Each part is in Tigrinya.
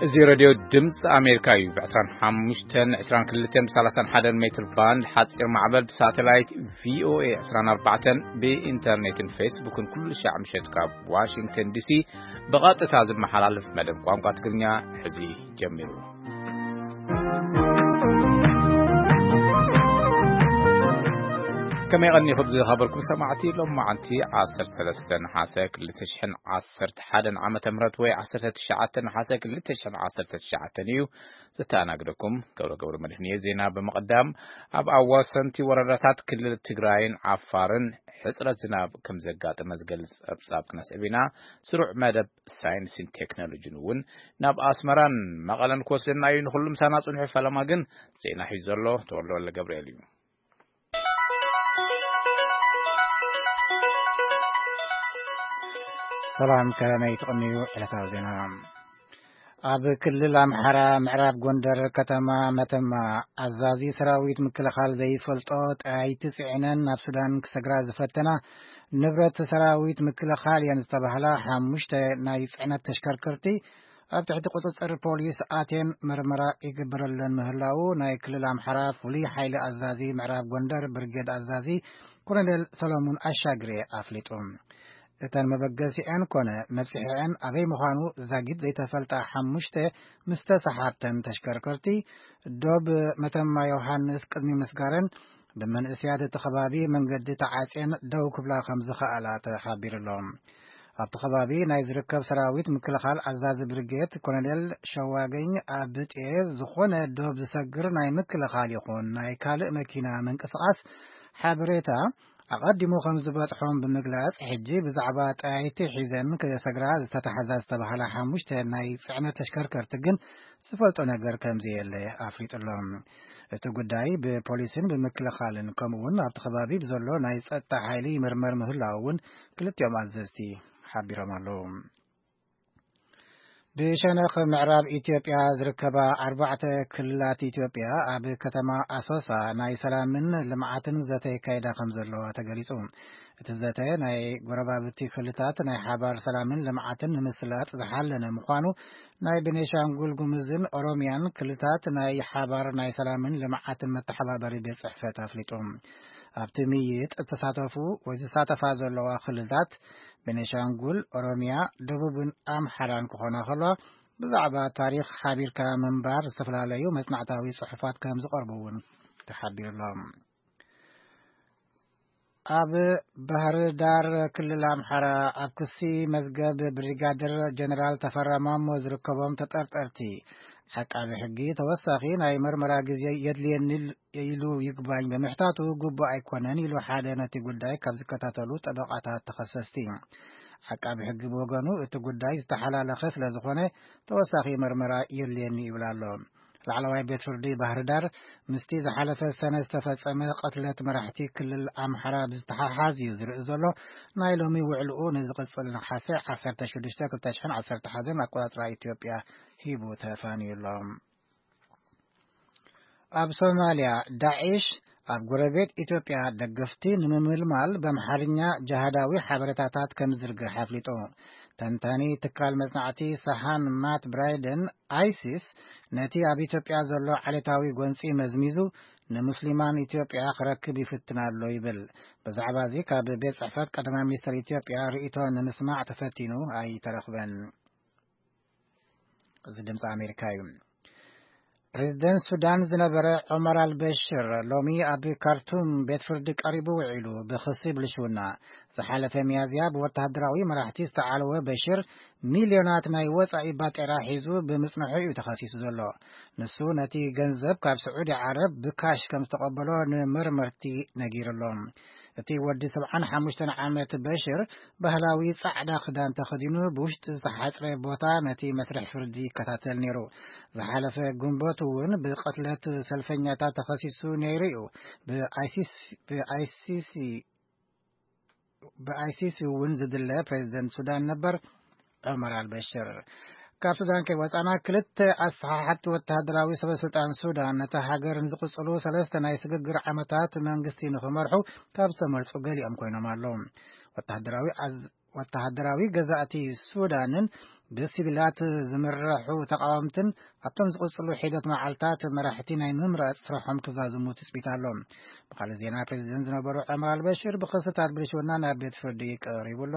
እዚ ሬድዮ ድምፂ ኣሜሪካ እዩ። ብ ዕስራን ሓሙሽተን፣ ዕስራን ክልተን፣ ብ ሰላሳን ሓደን ሜትር ባንድ ሓፂር ማዕበል፣ ብሳተላይት ቪ ኦ ኤ ዕስራን ኣርባዕተን፣ ብኢንተርኔትን ፌስቡክን ኩሉ ሻዕ ምሸት ካብ ዋሽንግተን ዲ ሲ ብቐጥታ ዝመሓላለፍ መደብ ቋንቋ ትግርኛ ሕዚ ጀሚሩ። ከመይ ቀኒኹም ዝኸበርኩም ሰማዕቲ? ሎም መዓልቲ ዓሰርተ ሰለስተ ነሓሰ ክልተ ሽሕን ዓሰርተ ሓደን ዓመተ ምህረት ወይ ዓሰርተ ትሽዓተ ነሓሰ ክልተ ሽሕን ዓሰርተ ትሽዓተን እዩ። ዘተኣናግደኩም ገብረ ገብረ መድህን እየ። ዜና ብምቕዳም፣ ኣብ ኣዋሰንቲ ወረዳታት ክልል ትግራይን ዓፋርን ሕጽረት ዝናብ ከም ዘጋጠመ ዝገልጽ ጸብጻብ ክነስዕብ ኢና። ስሩዕ መደብ ሳይንስን ቴክኖሎጂን እውን ናብ ኣስመራን መቐለን ክወስደና እዩ። ንኹሉ ምሳና ጽንሑ። ፈለማ ግን ዜና ሒዙ ዘሎ ተወልደ ወልደ ገብርኤል እዩ። ሰላም፣ ከመይ ትቕንዩ? ዕለታዊ ዜና። ኣብ ክልል ኣምሓራ ምዕራብ ጎንደር ከተማ መተማ፣ ኣዛዚ ሰራዊት ምክልኻል ዘይፈልጦ ጠያይቲ ጽዒነን ናብ ሱዳን ክሰግራ ዝፈተና፣ ንብረት ሰራዊት ምክልኻል እየን ዝተባህላ ሓሙሽተ ናይ ጽዕነት ተሽከርከርቲ ኣብ ትሕቲ ቁጽጽር ፖሊስ ኣትየን መርመራ ይግበረለን ምህላዉ ናይ ክልል ኣምሓራ ፍሉይ ሓይሊ ኣዛዚ ምዕራብ ጎንደር ብርጌድ ኣዛዚ ኮሎኔል ሰሎሙን ኣሻግሬ ኣፍሊጡ። እተን መበገሲዐን ኮነ መብጽሒዐን ኣበይ ምዃኑ ዛጊት ዘይተፈልጣ ሓሙሽተ ምስ ተሰሓብተን ተሽከርከርቲ ዶብ መተማ ዮሃንስ ቅድሚ ምስጋረን፣ ብመንእስያት እቲ ከባቢ መንገዲ ተዓጽየን ደው ክብላ ከም ዝኸኣላ ተሓቢሩሎም። ኣብቲ ከባቢ ናይ ዝርከብ ሰራዊት ምክልኻል ኣዛዚ ብርጌድ ኮሎኔል ሸዋገኝ ኣብጤ፣ ዝኾነ ዶብ ዝሰግር ናይ ምክልኻል ይኹን ናይ ካልእ መኪና ምንቅስቓስ ሓበሬታ ኣቐዲሙ ከም ዝበጽሖም ብምግላጽ፣ ሕጂ ብዛዕባ ጠያይቲ ሒዘን ክሰግራ ዝተታሕዛ ዝተባህላ ሓሙሽተ ናይ ጽዕነት ተሽከርከርቲ ግን ዝፈልጦ ነገር ከም ዘየለ ኣፍሊጡሎም። እቲ ጉዳይ ብፖሊስን ብምክልኻልን ከምኡ እውን ኣብቲ ከባቢ ብዘሎ ናይ ጸጥታ ሓይሊ ይምርመር ምህላው እውን ክልቲኦም ኣዘዝቲ ሓቢሮም ኣለዉ። ብሸነኽ ምዕራብ ኢትዮጵያ ዝርከባ ኣርባዕተ ክልላት ኢትዮጵያ ኣብ ከተማ ኣሶሳ ናይ ሰላምን ልምዓትን ዘተ ይካየዳ ከም ዘለዋ ተገሊጹ። እቲ ዘተ ናይ ጎረባብቲ ክልላት ናይ ሓባር ሰላምን ልምዓትን ንምስላጥ ዝሓለነ ምዃኑ ናይ ቤኔሻንጉል ጉምዝን ኦሮሚያን ክልታት ናይ ሓባር ናይ ሰላምን ልምዓትን መተሓባበሪ ቤት ጽሕፈት ኣፍሊጡ። ኣብቲ ምይይጥ እተሳተፉ ወይ ዝሳተፋ ዘለዋ ክልላት ቤኔሻንጉል፣ ኦሮሚያ፣ ደቡብን ኣምሓራን ክኾና ከለዋ፣ ብዛዕባ ታሪኽ ሓቢርካ ምንባር ዝተፈላለዩ መጽናዕታዊ ጽሑፋት ከም ዝቐርቡ እውን ተሓቢሩሎም። ኣብ ባህር ዳር ክልል ኣምሓራ ኣብ ክሲ መዝገብ ብሪጋደር ጀነራል ተፈራ ማሞ ዝርከቦም ተጠርጠርቲ፣ ዓቃቢ ሕጊ ተወሳኺ ናይ መርመራ ግዜ የድልየኒ ኢሉ ይግባኝ ብምሕታቱ ግቡእ ኣይኮነን ኢሉ ሓደ ነቲ ጉዳይ ካብ ዝከታተሉ ጠበቓታት ተኸሰስቲ። ዓቃቢ ሕጊ ብወገኑ እቲ ጉዳይ ዝተሓላለኸ ስለ ዝኾነ ተወሳኺ መርመራ የድልየኒ ይብል ኣሎ። ላዕለዋይ ቤት ፍርዲ ባህር ዳር ምስቲ ዝሓለፈ ሰነ ዝተፈጸመ ቅትለት መራሕቲ ክልል ኣምሓራ ብዝተሓሓዝ እዩ ዝርኢ ዘሎ። ናይ ሎሚ ውዕልኡ ንዝቕጽል ነሓሰ ዓሰርተ ሽዱሽተ ክልተ ሽሕን ዓሰርተ ሓደን ኣቆጻጽራ ኢትዮጵያ ሂቡ ተፋንዩ ኣሎ። ኣብ ሶማልያ፣ ዳዒሽ ኣብ ጎረቤት ኢትዮጵያ ደገፍቲ ንምምልማል ብኣምሓርኛ ጅሃዳዊ ሓበሬታታት ከም ዝዝርግሕ ኣፍሊጡ። ተንታኒ ትካል መጽናዕቲ ሰሃን ማት ብራይደን፣ ኣይሲስ ነቲ ኣብ ኢትዮጵያ ዘሎ ዓሌታዊ ጎንጺ መዝሚዙ ንሙስሊማን ኢትዮጵያ ክረክብ ይፍትን ኣሎ ይብል። ብዛዕባ እዚ ካብ ቤት ጽሕፈት ቀዳማይ ሚኒስትር ኢትዮጵያ ርእይቶ ንምስማዕ ተፈቲኑ ኣይተረኽበን። እዚ ድምፂ ኣሜሪካ እዩ። ፕሬዝደንት ሱዳን ዝነበረ ዑመር ኣልበሽር ሎሚ ኣብ ካርቱም ቤት ፍርዲ ቀሪቡ ውዒሉ ብኽሲ ብልሽውና። ዝሓለፈ ሚያዝያ ብወተሃደራዊ መራሕቲ ዝተዓለወ በሽር፣ ሚልዮናት ናይ ወጻኢ ባጤራ ሒዙ ብምጽንሑ እዩ ተኸሲሱ ዘሎ። ንሱ ነቲ ገንዘብ ካብ ስዑዲ ዓረብ ብካሽ ከም ዝተቐበሎ ንመርመርቲ ነጊሩ ኣሎ። እቲ ወዲ ሰብዓን ሓሙሽተን ዓመት በሽር፣ ባህላዊ ጻዕዳ ክዳን ተኸዲኑ ብውሽጢ ዝተሓጽረ ቦታ ነቲ መስርሕ ፍርዲ ይከታተል ነይሩ። ዝሓለፈ ግንቦት እውን ብቕትለት ሰልፈኛታት ተኸሲሱ ነይሩ እዩ። ብኣይሲስ-፣ ብኣይሲሲ፣ ብኣይሲሲ እውን ዝድለ ፕሬዝደንት ሱዳን ነበር ዑመር ኣልበሽር። ካብ ሱዳን ከይወጻና፣ ክልተ ኣሰሓሓብቲ ወተሃደራዊ ሰበ ስልጣን ሱዳን ነታ ሃገር ንዝቕጽሉ ሰለስተ ናይ ስግግር ዓመታት መንግስቲ ንኽመርሑ ካብ ዝተመርጹ ገሊኦም ኮይኖም ኣለዉ። ወተሃደራዊ ኣዝ-፣ ወተሃደራዊ ገዛእቲ ሱዳንን ብሲቪላት ዝምርሑ ተቓወምትን ኣብቶም ዝቕጽሉ ሒደት መዓልታት መራሕቲ ናይ ምምራጽ ስራሖም ክዛዝሙ ትጽቢት ኣሎ። ብኻልእ ዜና፣ ፕሬዚደንት ዝነበሩ ዑመር ኣልበሽር ብኽስታት ብልሽውና ናብ ቤት ፍርዲ ቀሪቡ ኣሎ።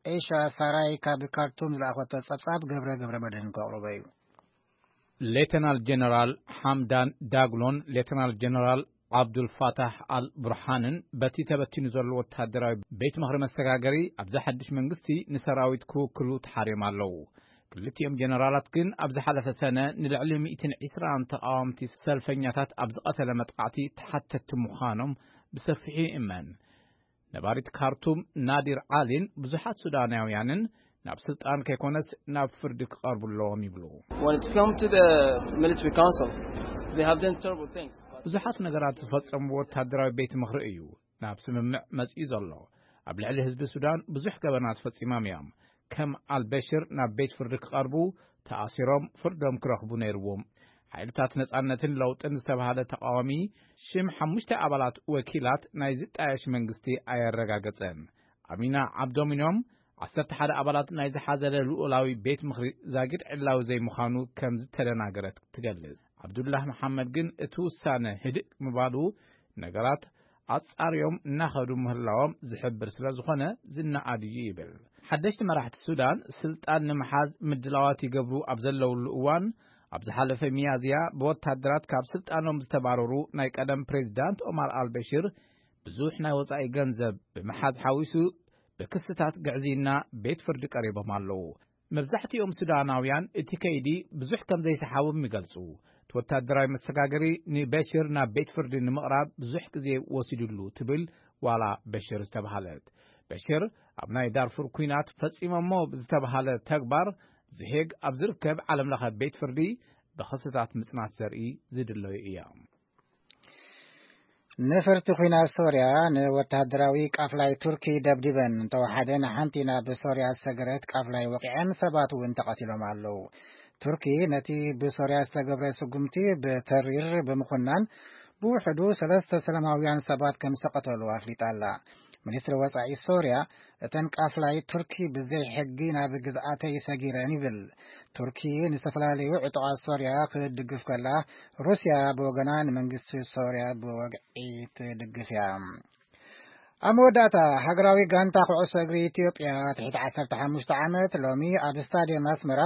ኤሻ ሳራይ ካብ ካርቱም ዝለኣኸቶ ጸብጻብ ገብረ ገብረ መድህን ከቕርቦ እዩ። ሌተናል ጀነራል ሓምዳን ዳግሎን ሌተናል ጀነራል ዓብዱል ፋታሕ ኣል ቡርሃንን በቲ ተበቲኑ ዘሎ ወታደራዊ ቤት ምኽሪ መሰጋገሪ፣ ኣብዚ ሓድሽ መንግስቲ ንሰራዊት ክውክሉ ተሓርዮም ኣለዉ። ክልቲኦም ጀነራላት ግን ኣብ ዝሓለፈ ሰነ ንልዕሊ ሚእትን ዕስራን ተቓወምቲ ሰልፈኛታት ኣብ ዝቐተለ መጥቃዕቲ ተሓተትቲ ምዃኖም ብሰፊሑ ይእመን። ነባሪት ካርቱም ናዲር ዓሊን ብዙሓት ሱዳናውያንን ናብ ስልጣን ከይኮነስ ናብ ፍርዲ ክቐርቡ ኣለዎም ይብሉ። When it's come to the military council, they have done terrible things. ብዙሓት ነገራት ዝፈጸሙ ወታደራዊ ቤት ምኽሪ እዩ ናብ ስምምዕ መጺኡ ዘሎ። ኣብ ልዕሊ ህዝቢ ሱዳን ብዙሕ ገበናት ፈጺሞም እዮም። ከም ኣልበሽር ናብ ቤት ፍርዲ ክቐርቡ፣ ተኣሲሮም ፍርዶም ክረኽቡ ነይርዎም። ሓይልታት ነጻነትን ለውጥን ዝተባህለ ተቓዋሚ ሽም ሓሙሽተ ኣባላት ወኪላት ናይ ዝጣየሽ መንግስቲ ኣየረጋገጸን። ኣሚና ዓብዶም እዮም። ዓሰርተ ሓደ ኣባላት ናይ ዝሓዘለ ልኡላዊ ቤት ምኽሪ ዛጊድ ዕላዊ ዘይምዃኑ ከም ዝተደናገረት ትገልጽ። ዓብዱላህ መሓመድ ግን እቲ ውሳነ ህድእ ምባሉ ነገራት ኣጻርዮም እናኸዱ ምህላዎም ዝሕብር ስለ ዝኾነ ዝነኣድ እዩ ይብል። ሓደሽቲ መራሕቲ ሱዳን ስልጣን ንምሓዝ ምድላዋት ይገብሩ ኣብ ዘለውሉ እዋን፣ ኣብ ዝሓለፈ ሚያዝያ ብወታደራት ካብ ስልጣኖም ዝተባረሩ ናይ ቀደም ፕሬዚዳንት ኦማር ኣልበሽር ብዙሕ ናይ ወጻኢ ገንዘብ ብምሓዝ ሓዊሱ ብክስታት ግዕዝይና ቤት ፍርዲ ቀሪቦም ኣለዉ። መብዛሕትኦም ሱዳናውያን እቲ ከይዲ ብዙሕ ከም ዘይሰሓቦም ይገልጹ። እቲ ወታደራዊ መሰጋገሪ ንበሽር ናብ ቤት ፍርዲ ንምቕራብ ብዙሕ ግዜ ወሲዱሉ ትብል ዋላ በሽር ዝተባህለት። በሽር ኣብ ናይ ዳርፉር ኲናት ፈጺሞሞ ብዝተባህለ ተግባር ዝሄግ ኣብ ዝርከብ ዓለም ለኸ ቤት ፍርዲ ብኽስታት ምጽናት ዘርኢ ዝድለዩ እዮም። ነፈርቲ ኲናት ሶርያ ንወተሃደራዊ ቃፍላይ ቱርኪ ደብዲበን እንተወሓደ ንሓንቲ ናብ ሶርያ ዝሰገረት ቃፍላይ ወቂዐን ሰባት እውን ተቐቲሎም ኣለዉ። ቱርኪ ነቲ ብሶርያ ዝተገብረ ስጉምቲ ብተሪር ብምኹናን ብውሕዱ ሰለስተ ሰላማውያን ሰባት ከም ዝተቐተሉ ኣፍሊጣ ኣላ። ሚኒስትሪ ወጻኢ ሶርያ እተን ቃፍላይ ቱርኪ ብዘይ ሕጊ ናብ ግዝኣተይ ሰጊረን ይብል። ቱርኪ ንዝተፈላለዩ ዕጡቓት ሶርያ ክትድግፍ ከላ፣ ሩስያ ብወገና ንመንግስቲ ሶርያ ብወግዒ ትድግፍ እያ። ኣብ መወዳእታ፣ ሃገራዊ ጋንታ ኩዕሶ እግሪ ኢትዮጵያ ትሕቲ ዓሰርተ ሓሙሽተ ዓመት ሎሚ ኣብ ስታድየም ኣስመራ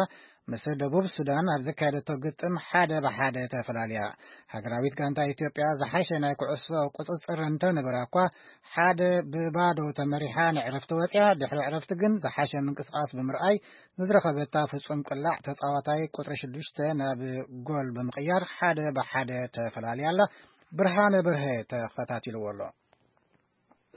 ምስ ደቡብ ሱዳን ኣብ ዘካየደቶ ግጥም ሓደ ብሓደ ተፈላልያ። ሃገራዊት ጋንታ ኢትዮጵያ ዝሓሸ ናይ ኩዕሶ ቁጽጽር እንተነበራ እኳ፣ ሓደ ብባዶ ተመሪሓ ንዕረፍቲ ወጽያ። ድሕሪ ዕረፍቲ ግን ዝሓሸ ምንቅስቓስ ብምርኣይ ንዝረኸበታ ፍጹም ቅላዕ ተጻዋታይ ቁጽሪ ሽዱሽተ ናብ ጎል ብምቕያር ሓደ ብሓደ ተፈላልያ ኣላ። ብርሃነ በርሀ ተኸታቲልዎ ኣሎ።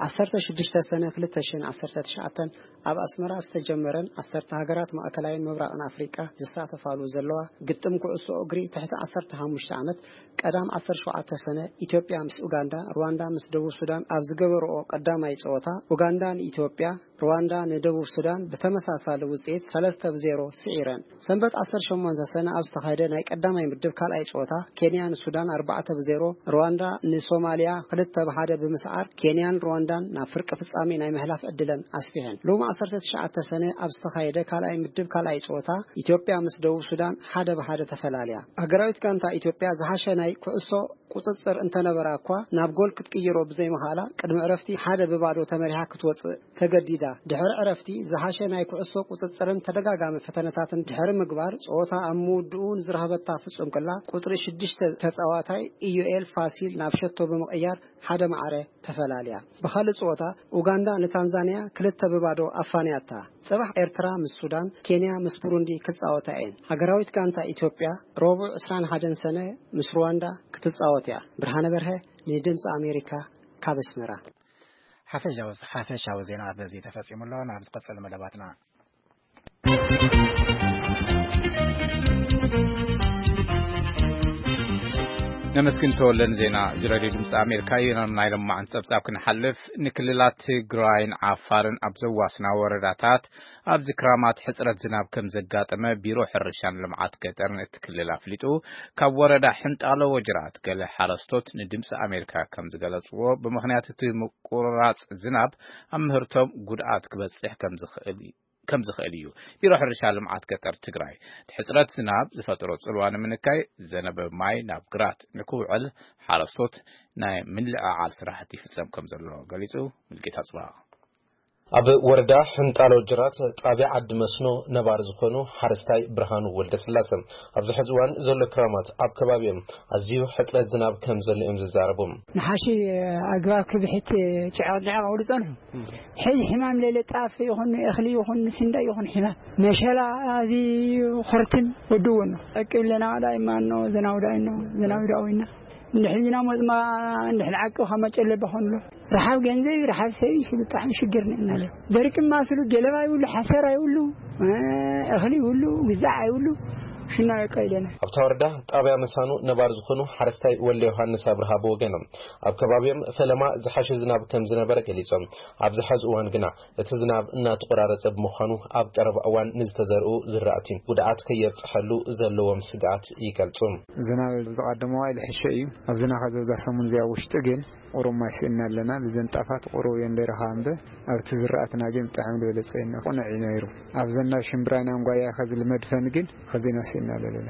ዓሰርተ ሽዱሽተ ሰነ ክልተ ሽሕን ዓሰርተ ትሽዓተን ኣብ ኣስመራ ዝተጀመረን ዓሰርተ ሃገራት ማእከላይን ምብራቕን ኣፍሪቃ ዝሳተፋሉ ዘለዋ ግጥም ኩዕሶ እግሪ ትሕቲ ዓሰርተ ሓሙሽተ ዓመት ቀዳም ዓሰርተ ሸውዓተ ሰነ ኢትዮጵያ ምስ ኡጋንዳ፣ ሩዋንዳ ምስ ደቡብ ሱዳን ኣብ ዝገበርኦ ቀዳማይ ጸወታ ኡጋንዳ ንኢትዮጵያ፣ ሩዋንዳ ንደቡብ ሱዳን ብተመሳሳሊ ውጽኢት ሰለስተ ብዜሮ ስዒረን። ሰንበት ዓሰርተ ሸሞንተ ሰነ ኣብ ዝተኻየደ ናይ ቀዳማይ ምድብ ካልኣይ ጸወታ፣ ኬንያ ንሱዳን ኣርባዕተ ብዜሮ፣ ሩዋንዳ ንሶማልያ ክልተ ብሓደ ብምስዓር፣ ኬንያን ሩዋንዳን ናብ ፍርቂ ፍጻሜ ናይ ምሕላፍ ዕድለን ኣስፊሐን። ሎሚ ዓሰርተ ትሽዓተ ሰነ ኣብ ዝተኻየደ ካልኣይ ምድብ ካልኣይ ጸወታ፣ ኢትዮጵያ ምስ ደቡብ ሱዳን ሓደ ብሓደ ተፈላልያ። ሃገራዊት ጋንታ ኢትዮጵያ ዝሓሸ ናይ ኩዕሶ ቁጽጽር እንተነበራ እኳ፣ ናብ ጎል ክትቅይሮ ብዘይምኽኣላ፣ ቅድሚ ዕረፍቲ ሓደ ብባዶ ተመሪሓ ክትወጽእ ተገዲዳ። ድሕሪ ዕረፍቲ፣ ዝሓሸ ናይ ኩዕሶ ቁጽጽርን ተደጋጋሚ ፈተነታትን ድሕሪ ምግባር፣ ጸወታ ኣብ ምውድኡ ንዝረኸበታ ፍጹም ቅላ ቁጽሪ ሽዱሽተ ተጻዋታይ ኢዩኤል ፋሲል ናብ ሸቶ ብምቕያር ሓደ ማዕረ ተፈላልያ። ብኻልእ ጸወታ፣ ኡጋንዳ ንታንዛንያ ክልተ ብባዶ ኣፋንያታ። ጽባሕ ኤርትራ ምስ ሱዳን፣ ኬንያ ምስ ቡሩንዲ ክጻወታ እየን። ሃገራዊት ጋንታ ኢትዮጵያ፣ ረቡዕ ዕስራን ሓደን ሰነ ምስ ሩዋንዳ ክትጻወት እያ። ብርሃነ በርሀ፣ ንድምጺ ኣሜሪካ፣ ካብ ኣስመራ። ሓፈሻዊ፣ ሓፈሻዊ ዜና በዚ ተፈጺሙ ኣሎ። ናብ ዝቐጽል መደባትና። ነመስግን ተወለን ዜና እዚ ሬድዮ ድምፂ ኣሜሪካ እዩ። ናብ ናይ ለማዕን ጸብጻብ ክንሓልፍ፣ ንክልላት ትግራይን ዓፋርን ኣብ ዘዋስና ወረዳታት ኣብዚ ክራማት ሕጽረት ዝናብ ከም ዘጋጠመ ቢሮ ሕርሻን ልምዓት ገጠርን እቲ ክልል ኣፍሊጡ። ካብ ወረዳ ሕንጣሎ ወጅራት ገለ ሓረስቶት ንድምፂ ኣሜሪካ ከም ዝገለጽዎ፣ ብምኽንያት እቲ ምቁርራጽ ዝናብ ኣብ ምህርቶም ጉድኣት ክበጽሕ ከም ዝኽእል ከም ዝኽእል እዩ ቢሮ ሕርሻ ልምዓት ገጠር ትግራይ። እቲ ሕፅረት ዝናብ ዝፈጠሮ ፅልዋ ንምንካይ፣ ዘነበ ማይ ናብ ግራት ንክውዕል ሓረስቶት ናይ ምልዕዓል ስራሕቲ ይፍፀም ከም ዘሎ ገሊፁ። ምልጌታ ጽባ። ኣብ ወረዳ ሕንጣሎ ጅራት ጣብያ ዓዲ መስኖ ነባር ዝኾኑ ሓረስታይ ብርሃኑ ወልደስላሰ፣ ኣብዚ ሕዚ እዋን ዘሎ ክራማት ኣብ ከባቢኦም ኣዝዩ ሕፅረት ዝናብ ከም ዘሎ እዮም ዝዛረቡ። ንሓሺ ኣግባብ ክብሕት ጭዕቕ ጭዕቕ ክብሉ ጸንሑ። ሕዚ ሕማም ለለ ጣፍ ይኹን እኽሊ ይኹን ስንዳይ ይኹን ሕማም መሸላ ኣዝዩ ኹርትን ወድዎ ነው። ጠቂብ ለና ዳይማ ነው ዘናው ዳይ ነው ዘናው ዳዊና እንድሕር ዚና ሞጽማ እንድሕር ዓቂ ካብ መጨለ በኾንሎ። ረሓብ ገንዘብ፣ ረሓብ ሰብ እዩ፣ ብጣዕሚ ሽግር ነና ኣሎ። ደርቂ ማስሉ ገለባ ይብሉ፣ ሓሰር ኣይብሉ፣ እ፣ እኽሊ ይብሉ፣ ግዛዕ ኣይብሉ፣ ሽና በቃ ኢለና። ኣብታ ወረዳ ጣብያ መሳኑ ነባር ዝኾኑ ሓረስታይ ወልደ ዮሃንስ ኣብርሃ ብወገኖም፣ ኣብ ከባቢኦም ፈለማ ዝሓሸ ዝናብ ከም ዝነበረ ገሊጾም፣ ኣብዚ ሐዚ እዋን ግና እቲ ዝናብ እናተቆራረጸ ብምዃኑ ኣብ ቀረባ እዋን ንዝተዘርኡ ዝራእቲ ጉድኣት ከየብጽሐሉ ዘለዎም ስግኣት ይገልጹ። ዝናብ ዝቐደመ ዋይ ዝሕሸ እዩ። ኣብዝና ከዘብዛ ሰሙን እዚኣ ውሽጢ ግን ቁሩብ ማይ ስእና ኣለና። ብዘን ጣፋት ቁሩብ እየን ደረኻ እምበር ኣብቲ ዝራእትና ግን ብጣዕሚ ዝበለጸ እዩ። ቁኑዕ እዩ ነይሩ። ኣብዘን ናይ ሽምብራይና እንጓያ ከዚ ልመድፈን ግን ከዚና ስእና ኣለና።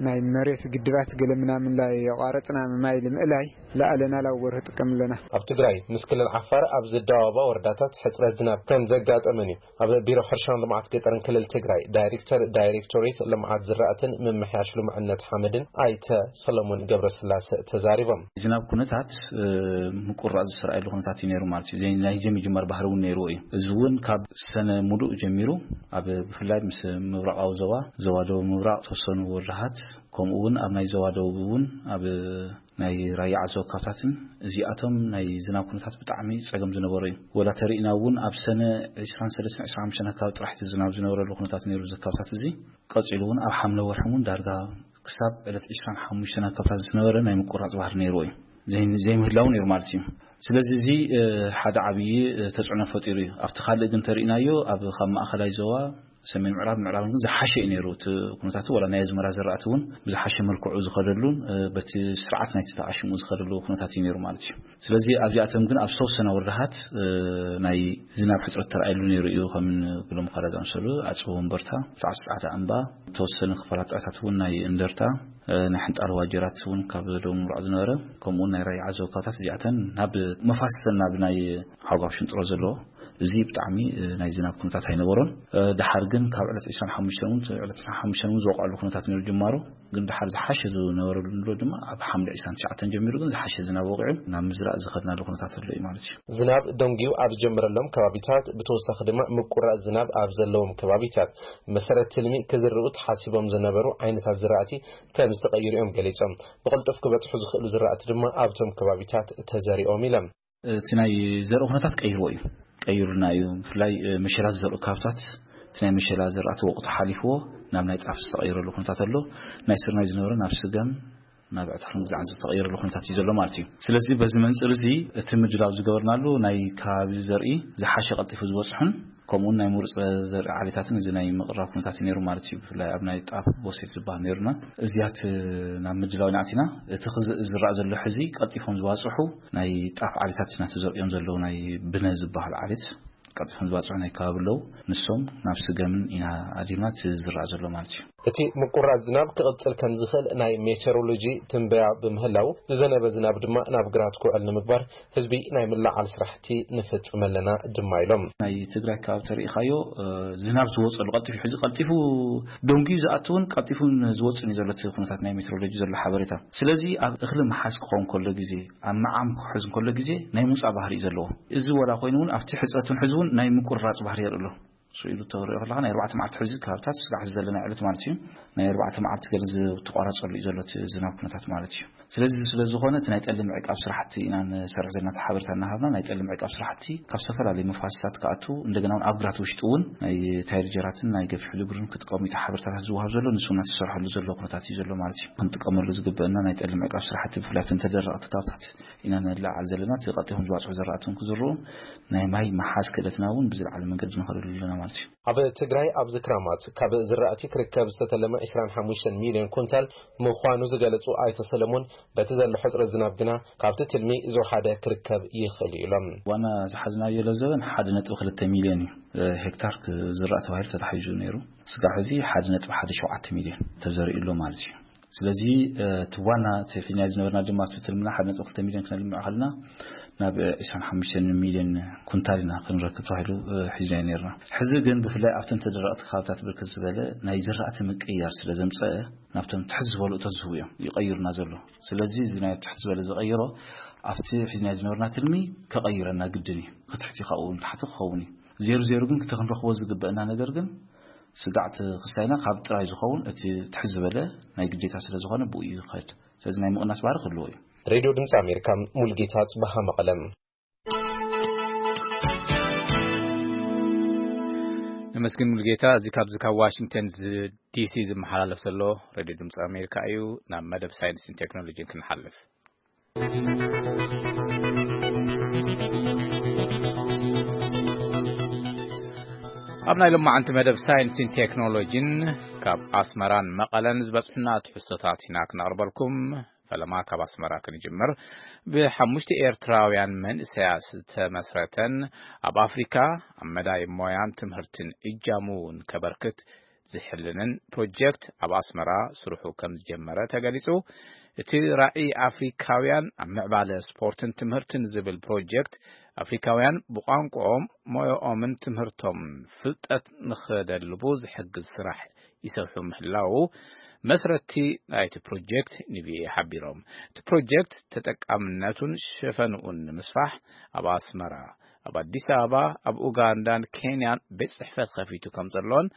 ናይ መሬት ግድባት ገለ ምናምን ላይ የቋረጽና ማይ ልምእላይ ለኣለና ላብ ወርህ ጥቀም ኣለና። ኣብ ትግራይ ምስ ክልል ዓፋር ኣብ ዝደባባ ወረዳታት ሕፅረት ዝናብ ከም ዘጋጠመን እዩ ኣብ ቢሮ ሕርሻን ልምዓት ገጠርን ክልል ትግራይ ዳይሬክተር ዳይሬክቶሬት ልምዓት ዝራእትን ምምሕያሽ ልሙዕነት ሓመድን ኣይተ ሰለሞን ገብረስላሰ ተዛሪቦም። ዝናብ ኩነታት፣ እ፣ ምቁራፅ ዝተረኣየሉ ኩነታት እዩ ነይሩ ማለት እዩ። ዘይ-፣ ናይ ዘይምጅማር ባህሪ እውን ነይርዎ እዩ። እዚ እውን ካብ ሰነ ሙሉእ ጀሚሩ ኣብ ብፍላይ ምስ ምብራቓዊ ዞባ፣ ዞባ ደቡብ ምብራቕ፣ ተወሰኑ ወረዳታት፣ ከምኡ እውን ኣብ ናይ ዞባ ደቡብ እውን ኣብ ናይ ራያ ዓዘቦ ከባብታትን እዚኣቶም ናይ ዝናብ ኩነታት ብጣዕሚ ጸገም ዝነበሮ እዩ። ወላ ተሪእና እውን ኣብ ሰነ ዕስራን ሰለስተን ዕስራን ሓሙሽተን ኣካባቢ ጥራሕ እቲ ዝናብ ዝነበረሉ ኩነታት ነይሩ። እዚ ከባብታት እዚ ቀጺሉ እውን ኣብ ሓምለ ወርሒ እውን ዳርጋ ክሳብ ዕለት ዕስራን ሓሙሽተን ኣካባብታት ዝነበረ ናይ ምቁራጽ ባህሪ ነይርዎ እዩ። ዘይ-፣ ዘይምህላው ነይሩ ማለት እዩ። ስለዚ እዚ፣ እ፣ ሓደ ዓብዪ፣ እ፣ ተጽዕኖ ፈጢሩ እዩ። ኣብቲ ካልእ ግን ተሪእናዮ ኣብ ካብ ማእኸላይ ዞባ ሰሜን ምዕራብ ምዕራብን ግን ዝሓሸ እዩ ነይሩ። እቲ ኩነታት ወላ ናይ ኣዝመራ ዘራእቲ እውን ብዝሓሸ መልክዑ ዝኸደሉን፣ እ፣ በቲ ስርዓት ናይቲ ተዓሽሙ ዝኸደሉ ኩነታት እዩ ነይሩ ማለት እዩ። ስለዚ ኣብዚኣቶም ግን ኣብ ዝተወሰነ ወረዳታት፣ እ፣ ናይ ዝናብ ሕፅረት ተረኣየሉ ነይሩ እዩ። ከም ብሎም ካራ ዝኣመሰሉ ኣፅቢ ወንበርታ፣ ሰዓት ሰዓት ኣምባ፣ ተወሰነ ክፋላት ጣታት እውን ናይ እንደርታ፣ እ፣ ናይ ሕንጣል ዋጀራት እውን ካብ ደቡብ ምብራቕ ዝነበረ፣ ከምኡ እውን ናይ ራያ ዓዘቦ ከባብታት እዚኣተን ናብ መፋሰሰን ናብ ናይ ሓጓፍ ሽንጥሮ ዘለዎ እዚ ብጣዕሚ፣ እ፣ ናይ ዝናብ ኩነታት ኣይነበሮን። እ፣ ደሓር ግን ካብ ዕለት ዕስራን ሓሙሽተን እውን፣ ዕለት ዕስራን ሓሙሽተን እውን ዝወቕዐሉ ኩነታት ነይሩ ጅማሮ። ግን ደሓር ዝሓሸ ዝነበረሉ ንብሎ ድማ ኣብ ሓምለ ዕስራን ትሽዓተን ጀሚሩ ግን ዝሓሸ ዝናብ ወቂዑ ናብ ምዝራእ ዝኸድናሉ ኩነታት ኣሎ እዩ ማለት እዩ። ዝናብ ደንጊዩ ኣብ ዝጀመረሎም ከባቢታት፣ ብተወሳኺ ድማ ምቁራጽ ዝናብ ኣብ ዘለዎም ከባቢታት፣ መሰረት ትልሚ ክዝርኡ ተሓሲቦም ዝነበሩ ዓይነታት ዝራእቲ ከም ዝተቐይሩ እዮም ገሊጾም። ብቕልጡፍ ክበጽሑ ዝኽእሉ ዝራእቲ ድማ ኣብቶም ከባቢታት ተዘሪኦም ኢሎም። እቲ ናይ ዘርኢ ኩነታት ቀይርዎ እዩ፣ ቀይሩልና እዩ። ብፍላይ፣ እ፣ መሸላ ዝዘርኡ ከባብታት እቲ ናይ መሸላ ዘራእቲ ወቕቱ ሓሊፍዎ ናብ ናይ ጣፍ ዝተቐየረሉ ኩነታት ኣሎ። ናይ ስርናይ ዝነበረ ናብ ስገም፣ ናብ ዕታርን ግዛዕን ዝተቐየረሉ ኩነታት እዩ ዘሎ ማለት እዩ። ስለዚ በዚ መንፅር እዚ እቲ ምድላው ዝገበርናሉ ናይ ከባቢ ዘርኢ ዝሓሸ ቀልጢፉ ዝበፅሑን ከምኡውን ናይ ምሩፅ ዘርኢ ዓሌታትን እዚ ናይ ምቕራብ ኩነታት እዩ ነይሩ ማለት እዩ። ብፍላይ ኣብ ናይ ጣፍ ቦሴት ዝበሃል ነይሩና። እዚያት ናብ ምድላው ኢና ኣቲና። እቲ ክዝ-፣ ዝረኣ ዘሎ ሕዚ ቀልጢፎም ዝባፅሑ ናይ ጣፍ ዓሌታት ኢና ተዘርእዮም ዘለዉ፣ ናይ ብነ ዝበሃል ዓሌት ቀልጢፎም ዝባፅሑ ናይ ከባቢ ኣለዉ። ንሶም ናብ ስገምን ኢና ኣዲምና እቲ ዝረኣ ዘሎ ማለት እዩ። እቲ ምቁራጽ ዝናብ ክቕጽል ከም ዝኽእል ናይ ሜቴሮሎጂ ትንበያ ብምህላው፣ ዝዘነበ ዝናብ ድማ ናብ ግራት ክውዕል ንምግባር ህዝቢ ናይ ምልዓል ስራሕቲ ንፍጽም ኣለና ድማ ኢሎም። ናይ ትግራይ ከባቢ ተሪኢኻዮ፣ እ፣ ዝናብ ዝወጸሉ ቀልጢፉ፣ ሕዚ ቀልጢፉ ደንጉዩ ዝኣትውን ቀልጢፉን ዝወጽን እዩ ዘሎ እቲ ኩነታት ናይ ሜትሮሎጂ ዘሎ ሓበሬታ። ስለዚ ኣብ እኽሊ ምሓዝ ክኸውን ከሎ ግዜ፣ ኣብ መዓም ክሕዝ ከሎ ግዜ ናይ ሙጻ ባህሪ እዩ ዘለዎ። እዚ ወላ ኮይኑ እውን ኣብቲ ሕጽረትን ሕዚ እውን ናይ ምቁርራጽ ባህሪ የርኢ ኣሎ። ስኢሉ ተሪኦ ከለኻ ናይ ኣርባዕተ መዓልቲ ሕዚ ካብታት ስጋዕ ዘለና ዕለት ማለት እዩ። ናይ ኣርባዕተ መዓልቲ ገለ ዝተቋረጸሉ እዩ ዘሎ እቲ ዝናብ ኩነታት ማለት እዩ። ስለዚ ስለ ዝኾነ እቲ ናይ ጠሊ ምዕቃብ ስራሕቲ ኢና ንሰርሕ ዘለና፣ እቲ ሓበሬታ እናሃብና ናይ ጠሊ ምዕቃብ ስራሕቲ ካብ ዝተፈላለዩ መፋሰሳት ክኣቱ፣ እንደገና እውን ኣብ ግራት ውሽጢ እውን ናይ ታይር ጀራትን ናይ ገፊሕ ልብርን ክጥቀሙ እቲ ሓበሬታታት ዝወሃብ ዘሎ፣ ንሱ እናተሰርሐሉ ዘሎ ኩነታት እዩ ዘሎ ማለት እዩ። ክንጥቀመሉ ዝግበአና ናይ ጠሊ ምዕቃብ ስራሕቲ ብፍላይ ኣብተን ተደረቕቲ ካብታት ኢና ንለዓል ዘለና። እቲ ቀልጢፎም ዝበፅሑ ዘራእቲ እውን ክዝርኡ ናይ ማይ መሓዝ ክእለትና እውን ብዝለዓለ መንገዲ ንኸደሉ ኣለና። ኣብ ትግራይ ኣብዚ ክራማት ካብ ዝራእቲ ክርከብ ዝተተለመ ዕስራን ሓሙሽተን ሚልዮን ኩንታል ምዃኑ ዝገለጹ ኣይተ ሰለሞን፣ በቲ ዘሎ ሕጽረት ዝናብ ግና ካብቲ ትልሚ ዝወሓደ ክርከብ ይኽእል እዩ ኢሎም። ዋና ዝሓዝናዮ ለዘበን ሓደ ነጥቢ ክልተ ሚልዮን እዩ ሄክታር ክዝራእ ተባሂሉ ተታሒዙ ነይሩ። ስጋዕ ሕዚ ሓደ ነጥቢ ሓደ ሸውዓተ ሚልዮን ተዘሪኡ ኣሎ ማለት እዩ። ስለዚ እቲ ዋና እቲ ሒዝናዮ ዝነበርና ድማ እቲ ትልምና ሓደ ነጥቢ ክልተ ሚልዮን ክነልምዕ ከለና ናብ ዕስራን ሓሙሽተን ሚልዮን ኩንታል ኢና ክንረክብ ተባሂሉ ሒዝናዮ ነርና። ሕዚ ግን ብፍላይ ኣብተን ተደረቕቲ ከባብታት ብርክት ዝበለ ናይ ዝራእቲ ምቅያር ስለ ዘምፀአ ናብቶም ትሕት ዝበሉ እቶት ዝህቡ እዮም ይቐይሩና ዘሎ። ስለዚ እዚ ናይ ትሕት ዝበለ ዝቐይሮ ኣብቲ ሒዝናዮ ዝነበርና ትልሚ ከቐይረና ግድን እዩ። ክትሕቲ ካብኡ ንታሕቲ ክኸውን እዩ። ዜሩ ዜሩ ግን ክተ ክንረኽቦ ዝግበአና ነገር ግን ስጋዕቲ ክሳይና ካብ ጥራይ ዝኸውን እቲ ትሕት ዝበለ ናይ ግዴታ ስለ ዝኾነ ብኡ እዩ ዝኸድ። ስለዚ ናይ ምቕናስ ባህሪ ክህልዎ እዩ። ሬድዮ ድምፂ ኣሜሪካ፣ ሙልጌታ ጽበሃ መቐለም። ነመስግን ሙልጌታ። እዚ ካብዚ ካብ ዋሽንግተን ዝ-፣ ዲሲ ዝመሓላለፍ ዘሎ ሬድዮ ድምፂ ኣሜሪካ እዩ። ናብ መደብ ሳይንስን ቴክኖሎጂን ክንሓልፍ። ኣብ ናይ ሎማዓንቲ መደብ ሳይንስን ቴክኖሎጂን ካብ ኣስመራን መቐለን ዝበጽሑና ትሕዝቶታት ኢና ክነቕርበልኩም። ፈለማ ካብ ኣስመራ ክንጅምር። ብሓሙሽተ ኤርትራውያን መንእሰያት ዝተመስረተን ኣብ ኣፍሪካ ኣብ መዳይ ሞያን ትምህርትን እጃሙ እውን ከበርክት ዝሕልንን ፕሮጀክት ኣብ ኣስመራ ስርሑ ከም ዝጀመረ ተገሊጹ። እቲ ራዕይ ኣፍሪካውያን ኣብ ምዕባለ ስፖርትን ትምህርትን ዝብል ፕሮጀክት ኣፍሪካውያን ብቋንቋኦም፣ ሞያኦምን ትምህርቶምን ፍልጠት ንኸደልቡ ዝሕግዝ ስራሕ ይሰርሑ ምህላዉ መስረቲ ናይቲ ፕሮጀክት ንቪኦኤ ሓቢሮም። እቲ ፕሮጀክት ተጠቃምነቱን ሸፈንኡን ንምስፋሕ ኣብ ኣስመራ፣ ኣብ ኣዲስ ኣበባ፣ ኣብ ኡጋንዳን ኬንያን ቤት ጽሕፈት ከፊቱ ከም ዘሎን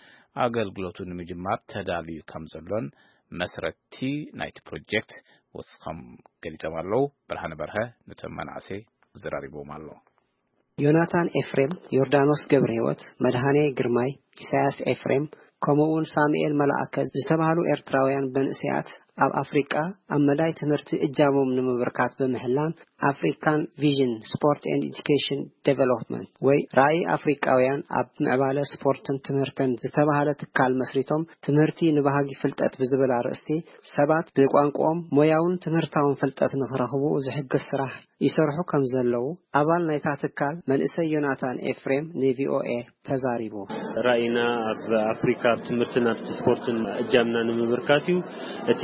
ኣገልግሎቱ ንምጅማር ተዳልዩ ከም ዘሎን መስረቲ ናይቲ ፕሮጀክት ወሲኾም ገሊጾም ኣለዉ። ብርሃነ በርሀ ነቶም መናእሰይ ኣዘራሪብዎም ኣሎ። ዮናታን ኤፍሬም፣ ዮርዳኖስ ገብረህይወት፣ መድሃኔ ግርማይ፣ ኢሳያስ ኤፍሬም፣ ከምኡ እውን ሳሙኤል መላእከ ዝተባህሉ ኤርትራውያን መንእሰያት ኣብ ኣፍሪቃ ኣብ መዳይ ትምህርቲ እጃሞም ንምብርካት ብምሕላን ኣፍሪካን ቪዥን ስፖርት ኤንድ ኤዱኬሽን ዴቨሎፕመንት ወይ ራእይ ኣፍሪቃውያን ኣብ ምዕባለ ስፖርትን ትምህርትን ዝተባህለ ትካል መስሪቶም ትምህርቲ ንባህጊ ፍልጠት ብዝብል ኣርእስቲ ሰባት ብቋንቋኦም ሞያውን ትምህርታውን ፍልጠት ንኽረኽቡ ዝሕግዝ ስራሕ ይሰርሑ ከም ዘለዉ ኣባል ናይታ ትካል መንእሰይ ዮናታን ኤፍሬም ንቪኦኤ ተዛሪቡ። ራእይና ኣብ ኣፍሪካ ኣብ ትምህርትን ኣብቲ ስፖርትን እጃምና ንምብርካት እዩ። እቲ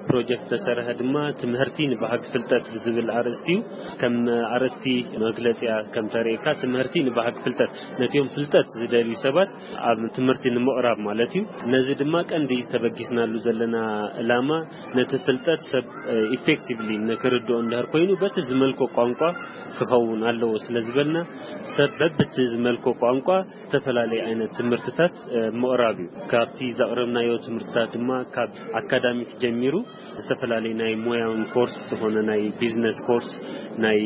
ፕሮጀክት ተሰርሐ ድማ ትምህርቲ ንባህጊ ፍልጠት ብዝብል ኣርእስቲ እዩ። ከም ኣርእስቲ መግለፂያ ከም ተርእየካ ትምህርቲ ንባህጊ ፍልጠት ነቲኦም ፍልጠት ዝደልዩ ሰባት ኣብ ትምህርቲ ንምቕራብ ማለት እዩ። ነዚ ድማ ቀንዲ ተበጊስናሉ ዘለና ዕላማ ነቲ ፍልጠት ሰብ ኢፌክቲቭሊ ንክርድኦ እንድሕር ኮይኑ በቲ ዝመልኮ ቋንቋ ክኸውን ኣለዎ ስለ ዝበልና ሰብ በብቲ ዝመልኮ ቋንቋ ዝተፈላለየ ዓይነት ትምህርትታት ምቕራብ እዩ። ካብቲ ዘቕረብናዮ ትምህርትታት ድማ ካብ ኣካዳሚክ ጀሚሩ ዝተፈላለዩ ናይ ሞያውን ኮርስ ዝኾነ ናይ ቢዝነስ ኮርስ፣ ናይ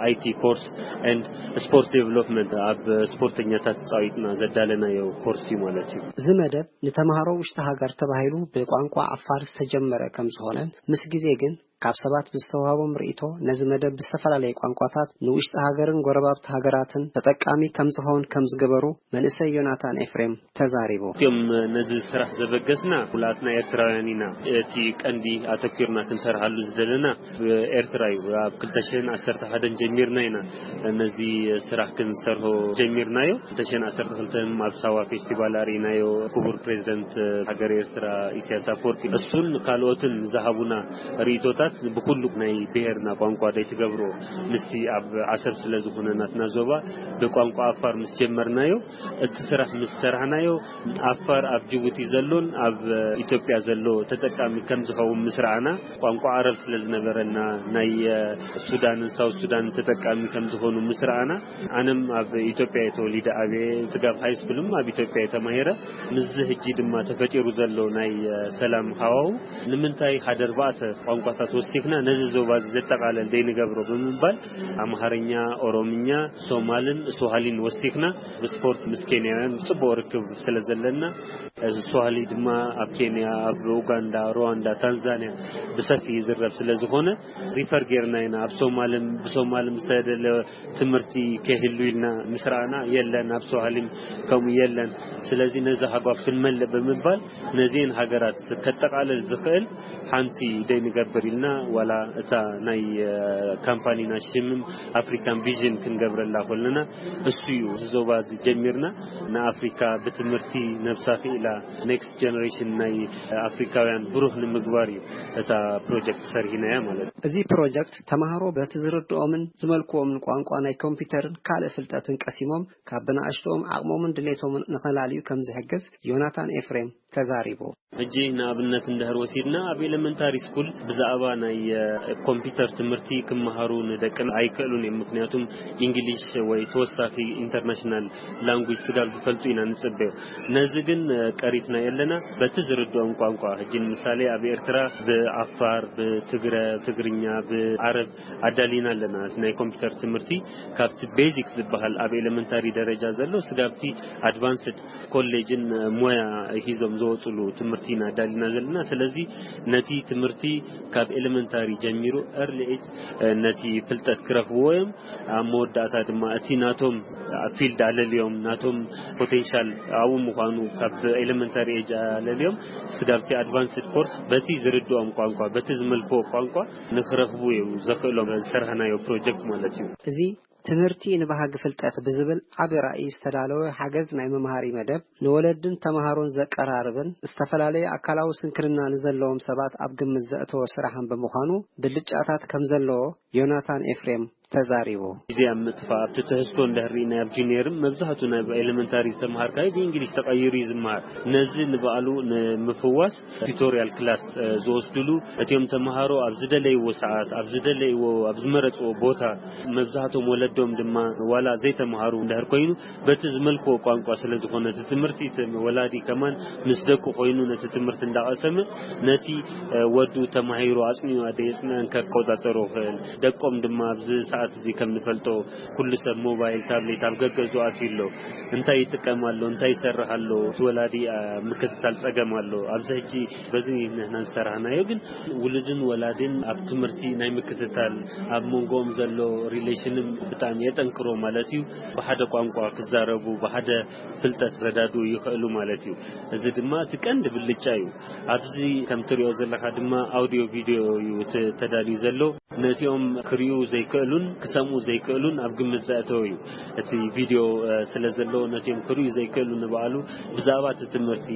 ኣይቲ ኮርስ ኤንድ ስፖርት ዴቨሎፕመንት ኣብ ስፖርተኛታት ፃዊጥና ዘዳለናዮ ኮርስ እዩ ማለት እዩ። እዚ መደብ ንተምሃሮ ውሽጢ ሃገር ተባሂሉ ብቋንቋ ዓፋር ዝተጀመረ ከም ዝኾነን ምስ ግዜ ግን ካብ ሰባት ብዝተዋህቦም ርእይቶ ነዚ መደብ ብዝተፈላለየ ቋንቋታት ንውሽጢ ሃገርን ጎረባብቲ ሃገራትን ተጠቃሚ ከም ዝኸውን ከም ዝገበሩ መንእሰይ ዮናታን ኤፍሬም ተዛሪቡ። እቲኦም ነዚ ስራሕ ዘበገስና ኩላትና ኤርትራውያን ኢና። እቲ ቀንዲ ኣተኪርና ክንሰርሓሉ ዝደለና ኤርትራ እዩ። ኣብ ክልተ ሽሕን ዓሰርተ ሓደን ጀሚርና ኢና ነዚ ስራሕ ክንሰርሖ ጀሚርናዮ። ክልተ ሽሕን ዓሰርተ ክልተን ኣብ ሳዋ ፌስቲቫል ኣርኢናዮ። ክቡር ፕሬዚደንት ሃገር ኤርትራ ኢሳያስ ኣፈወርቂ እሱን ካልኦትን ዝሃቡና ርእይቶታት ብኩሉ ናይ ብሄርና ቋንቋ ደይትገብሮ ምስቲ ኣብ ዓሰብ ስለ ዝኾነ ናትና ዞባ ብቋንቋ ኣፋር ምስ ጀመርናዮ እቲ ስራሕ ምስ ሰራሕናዮ ኣፋር ኣብ ጅቡቲ ዘሎን ኣብ ኢትዮጵያ ዘሎ ተጠቃሚ ከም ዝኸውን ምስ ረኣና ቋንቋ ዓረብ ስለ ዝነበረና ናይ ሱዳንን ሳውት ሱዳንን ተጠቃሚ ከም ዝኾኑ ምስ ረኣና ኣነም ኣብ ኢትዮጵያ እየ ተወሊደ ዓብየ። ስጋብ ሃይ ስኩልም ኣብ ኢትዮጵያ እየ ተማሂረ። ምስዚ ሕጂ ድማ ተፈጢሩ ዘሎ ናይ ሰላም ሃዋው ንምንታይ ሓደ ኣርባዕተ ቋንቋታት ወሲኽና ነዚ ዞባ እዚ ዘጠቓለል ደይንገብሮ ብምባል ኣምሃርኛ፣ ኦሮምኛ፣ ሶማልን ስዋሂሊን ወሲኽና ብስፖርት ምስ ኬንያውያን ጽቡቕ ርክብ ስለ ዘለና እዚ ስዋሂሊ ድማ ኣብ ኬንያ፣ ኣብ ኡጋንዳ፣ ሩዋንዳ፣ ታንዛንያ ብሰፊ ይዝረብ ስለ ዝኾነ ሪፈር ጌርና ኢና። ኣብ ሶማልን ብሶማልን ዝተደለ ትምህርቲ ከይህሉ ኢልና ምስ ረኣና የለን፣ ኣብ ስዋሂሊም ከምኡ የለን። ስለዚ ነዚ ሃጓፍ ክንመልእ ብምባል ነዚን ሃገራት ከጠቓልል ዝኽእል ሓንቲ ደይ ንገብር ኢልና ዋላ እታ ናይ ካምፓኒና ሽምም ኣፍሪካን ቪዥን ክንገብረላ ኮለና እሱ እዩ። እዚ ዞባ እዚ ጀሚርና ንኣፍሪካ ብትምህርቲ ነብሳ ክኢላ ኔክስት ጀነሬሽን ናይ ኣፍሪካውያን ብሩህ ንምግባር እዩ እታ ፕሮጀክት ሰርሂናያ ማለት እዩ። እዚ ፕሮጀክት ተማሃሮ በቲ ዝርድኦምን ዝመልክዎምን ቋንቋ ናይ ኮምፒውተርን ካልእ ፍልጠትን ቀሲሞም ካብ ብንኣሽትኦም ዓቕሞምን ድሌቶምን ንኸላልዩ ከም ዝሕግዝ ዮናታን ኤፍሬም ተዛሪቡ። ሕጂ ንኣብነት እንድሕር ወሲድና ኣብ ኤሌመንታሪ ስኩል ብዛዕባ ናይ ኮምፒውተር ትምህርቲ ክመሃሩ ንደቅን ኣይክእሉን እዮም። ምክንያቱም ኢንግሊሽ ወይ ተወሳኺ ኢንተርናሽናል ላንጉጅ ስጋብ ዝፈልጡ ኢና ንጽበዮ። ነዚ ግን ቀሪፍና የለና በቲ ዝርድኦም ቋንቋ። ሕጂ ንምሳሌ ኣብ ኤርትራ ብኣፋር፣ ብትግረ፣ ትግርኛ፣ ብዓረብ ኣዳሊና ኣለና። ናይ ኮምፒውተር ትምህርቲ ካብቲ ቤዚክ ዝበሃል ኣብ ኤሌመንታሪ ደረጃ ዘሎ ስጋብቲ ኣድቫንስድ ኮሌጅን ሞያ ሂዞም ዝወፅሉ ትምህርቲ ኢና ኣዳሊና ዘለና። ስለዚ ነቲ ትምህርቲ ካብ ኤሌመንታሪ ጀሚሩ ኤርሊ ኤጅ ነቲ ፍልጠት ክረኽብዎ እዮም። ኣብ መወዳእታ ድማ እቲ ናቶም ፊልድ ኣለልዮም ናቶም ፖቴንሻል ኣብኡ ምዃኑ ካብ ኤሌመንታሪ ኤጅ ኣለልዮም ስጋብቲ ኣድቫንስድ ኮርስ በቲ ዝርድኦም ቋንቋ በቲ ዝመልክዎ ቋንቋ ንክረኽቡ እዩ ዘኽእሎም ዝሰርሐናዮ ፕሮጀክት ማለት እዩ። እዚ ትምህርቲ ንባህጊ ፍልጠት ብዝብል ዓቢ ራእይ ዝተዳለወ ሓገዝ ናይ መምሃሪ መደብ ንወለድን ተማሃሮን ዘቀራርብን ዝተፈላለዩ ኣካላዊ ስንክልና ንዘለዎም ሰባት ኣብ ግምት ዘእተወ ስራሕን ብምዃኑ ብልጫታት ከም ዘለዎ ዮናታን ኤፍሬም ተዛሪቡ። ግዜ ኣብ ምጥፋእ ኣብቲ ትሕዝቶ እንድሕር ርኢና ኣብ ጁኒየርም መብዛሕቱ ናይ ኤሌመንታሪ ዝተምሃርካዮ ብእንግሊሽ ተቐይሩ እዩ ዝምሃር። ነዚ ንባዕሉ ንምፍዋስ ቱቶሪያል ክላስ ዝወስድሉ እቲኦም ተምሃሮ ኣብ ዝደለይዎ ሰዓት ኣብ ዝደለይዎ ኣብ ዝመረፅዎ ቦታ መብዛሕቶም ወለዶም ድማ ዋላ ዘይተምሃሩ እንድሕር ኮይኑ በቲ ዝመልክዎ ቋንቋ ስለ ዝኾነ እቲ ትምህርቲ እቲ ወላዲ ከማን ምስ ደቁ ኮይኑ ነቲ ትምህርቲ እንዳቐሰመ ነቲ ወዱ ተማሂሩ ኣፅኒዩ ኣደ የፅንዐን ከቆፃፀሮ ይኽእል። ደቆም ድማ ኣብዚ ሰዓት እዚ ከም ንፈልጦ ኩሉ ሰብ ሞባይል ታብሌት ኣብ ገገዝኡ ኣትዩ ኣሎ። እንታይ ይጥቀም ኣሎ እንታይ ይሰርሕ ኣሎ እቲ ወላዲ ምክትታል ፀገም ኣሎ። ኣብዚ ሕጂ በዚ ንሕና ዝሰራሕናዮ ግን ውሉድን ወላድን ኣብ ትምህርቲ ናይ ምክትታል ኣብ መንጎኦም ዘሎ ሪሌሽንም ብጣዕሚ የጠንክሮ ማለት እዩ። ብሓደ ቋንቋ ክዛረቡ ብሓደ ፍልጠት ክረዳድኡ ይኽእሉ ማለት እዩ። እዚ ድማ እቲ ቀንዲ ብልጫ እዩ። ኣብዚ ከም ትሪኦ ዘለኻ ድማ ኣውዲዮ ቪድዮ እዩ ተዳልዩ ዘሎ። ነቲኦም ክሪኡ ዘይክእሉን ክሰምኡ ዘይክእሉን ኣብ ግምት ዘእተወ እዩ። እቲ ቪድዮ ስለ ዘሎ ነቲኦም ክሪኡ ዘይክእሉ ንባዕሉ ብዛዕባ እቲ ትምህርቲ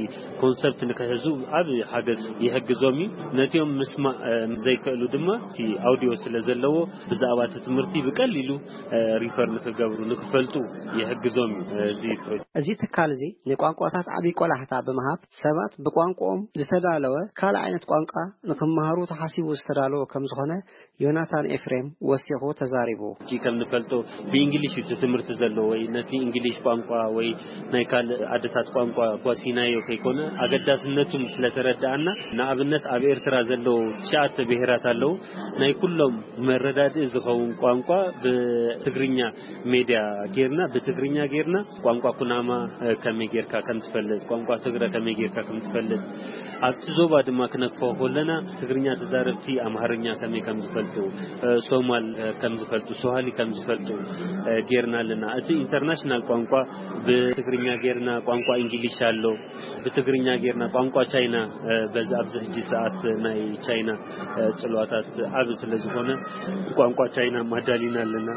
ኮንሰፕት ንክሕዙ ዓብ ሓገዝ ይሕግዞም እዩ። ነቲኦም ምስማእ ዘይክእሉ ድማ እቲ ኣውዲዮ ስለ ዘለዎ ብዛዕባ እቲ ትምህርቲ ብቀሊሉ ሪፈር ንክገብሩ ንክፈልጡ ይሕግዞም እዩ። እዚ ፕሮጀክት እዚ ትካል እዚ ንቋንቋታት ዓብዪ ቆላሕታ ብምሃብ ሰባት ብቋንቋኦም ዝተዳለወ ካልእ ዓይነት ቋንቋ ንክመሃሩ ተሓሲቡ ዝተዳለወ ከም ዝኾነ ዮናታን ኤፍሬም ወሲኹ ተዛሪቡ። ሕጂ ከም ንፈልጦ ብእንግሊሽ እዩ እቲ ትምህርቲ ዘሎ ወይ ነቲ እንግሊሽ ቋንቋ ወይ ናይ ካልእ ዓድታት ቋንቋ ኳሲናዮ ከይኮነ ኣገዳስነቱ ስለተረዳኣና ንኣብነት ኣብ ኤርትራ ዘለዉ ትሽዓተ ብሄራት ኣለዉ ናይ ኩሎም መረዳድኢ ዝኸውን ቋንቋ ብትግርኛ ሜድያ ጌርና ብትግርኛ ጌርና ቋንቋ ኩናማ ከመይ ጌርካ ከም ትፈልጥ ቋንቋ ትግረ ከመይ ጌርካ ከም ትፈልጥ ኣብቲ ዞባ ድማ ክነክፎ ከለና ትግርኛ ተዛረብቲ ኣምሃርኛ ከመይ ከም ዝፈልጡ ሶማል ከም ዝፈልጡ ሶሃሊ ከም ዝፈልጡ ጌርና ኣለና። እቲ ኢንተርናሽናል ቋንቋ ብትግርኛ ጌርና ቋንቋ እንግሊሽ ኣሎ። ብትግርኛ ጌርና ቋንቋ ቻይና በዚ ኣብዚ ሕጂ ሰዓት ናይ ቻይና ፅልዋታት ዓብ ስለ ዝኾነ ቋንቋ ቻይና ኣዳሊና ኣለና።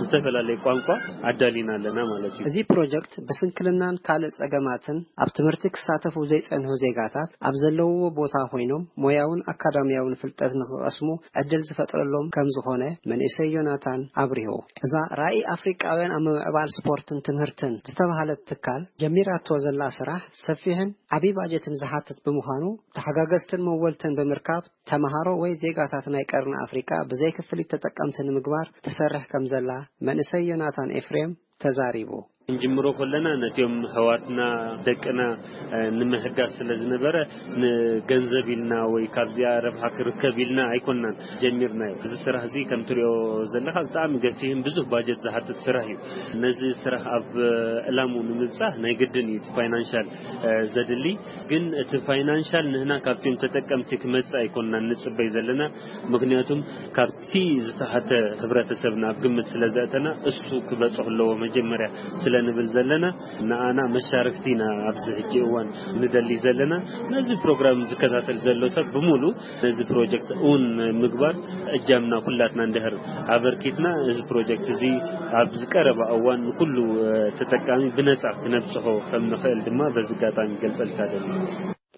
ዝተፈላለየ ቋንቋ ኣዳሊና ኣለና ማለት እዩ። እዚ ፕሮጀክት ብስንክልናን ካልእ ጸገማትን ኣብ ትምህርቲ ክሳተፉ ዘይጸንሑ ዜጋታት ኣብ ዘለውዎ ቦታ ኮይኖም ሞያውን ኣካዳሚያውን ፍልጠት ንኽቐስሙ ዕድል ዝፈጥረሎም ከም ዝኾነ መንእሰይ ዮናታን ኣብሪሁ። እዛ ራእይ ኣፍሪቃውያን ኣብ ምምዕባል ስፖርትን ትምህርትን ዝተባህለት ትካል ጀሚራቶ ዘላ ስራሕ ሰፊሕን ዓቢ ባጀትን ዝሓትት ብምዃኑ ተሓጋገዝትን መወልትን ብምርካብ ተመሃሮ ወይ ዜጋታት ናይ ቀርኒ ኣፍሪቃ ብዘይ ክፍሊት ተጠቀምቲ ንምግባር ትሰርሕ ከም ዘላ መንእሰይ ዮናታን ኤፍሬም ተዛሪቡ። ክንጅምሮ ከለና ነቲኦም ኣሕዋትና ደቅና ንምህጋስ ስለ ዝነበረ ንገንዘብ ኢልና ወይ ካብዚኣ ረብሓ ክርከብ ኢልና ኣይኮናን ጀሚርናዮ። እዚ ስራሕ እዚ ከም ትሪኦ ዘለኻ ብጣዕሚ ገፊሕን ብዙሕ ባጀት ዝሓትት ስራሕ እዩ። ነዚ ስራሕ ኣብ ዕላሙ ንምብፃሕ ናይ ግድን እዩ እቲ ፋይናንሻል ዘድሊ። ግን እቲ ፋይናንሻል ንህና ካብቲም ተጠቀምቲ ክመፅእ ኣይኮንና ንፅበይ ዘለና። ምክንያቱም ካብቲ ዝተሓተ ህብረተሰብና ኣብ ግምት ስለ ዘእተና እሱ ክበፅሑ ኣለዎ መጀመርያ ስለ ንብል ዘለና፣ ንኣና መሻርክቲ ኢና ኣብዚ ሕጂ እዋን ንደሊ ዘለና። ነዚ ፕሮግራም ዝከታተል ዘሎ ሰብ ብምሉ ነዚ ፕሮጀክት እውን ምግባር እጃምና ኩላትና እንድሕር ኣበርኪትና፣ እዚ ፕሮጀክት እዚ ኣብ ዝቀረበ እዋን ንኩሉ ተጠቃሚ ብነፃ ክነብፅሖ ከም ንኽእል ድማ በዚ ኣጋጣሚ ገልፀልካ ደሊ።